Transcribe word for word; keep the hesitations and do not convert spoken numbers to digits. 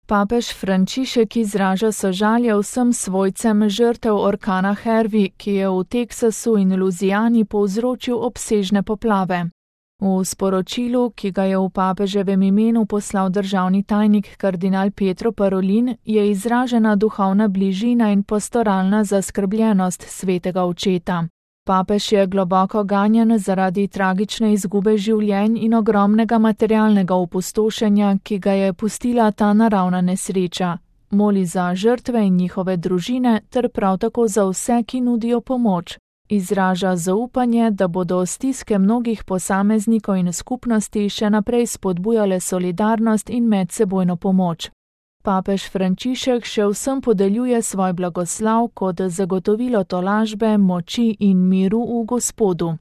Papež Frančišek izraža sožalje vsem svojcem žrtev orkana Harvey, ki je v Teksasu in Louisiani povzročil obsežne poplave. V sporočilu, ki ga je v papeževem imenu poslal državni tajnik kardinal Pietro Parolin, je izražena duhovna bližina in pastoralna zaskrbljenost svetega očeta. Papež je globoko ganjen zaradi tragične izgube življenj in ogromnega materialnega opustošenja, ki ga je pustila ta naravna nesreča. Moli za žrtve in njihove družine ter prav tako za vse, ki nudijo pomoč. Izraža zaupanje, da bodo stiske mnogih posameznikov in skupnosti še naprej spodbujale solidarnost in medsebojno pomoč. Papež Frančišek še vsem podeljuje svoj blagoslav kot zagotovilo tolažbe, moči in miru v Gospodu.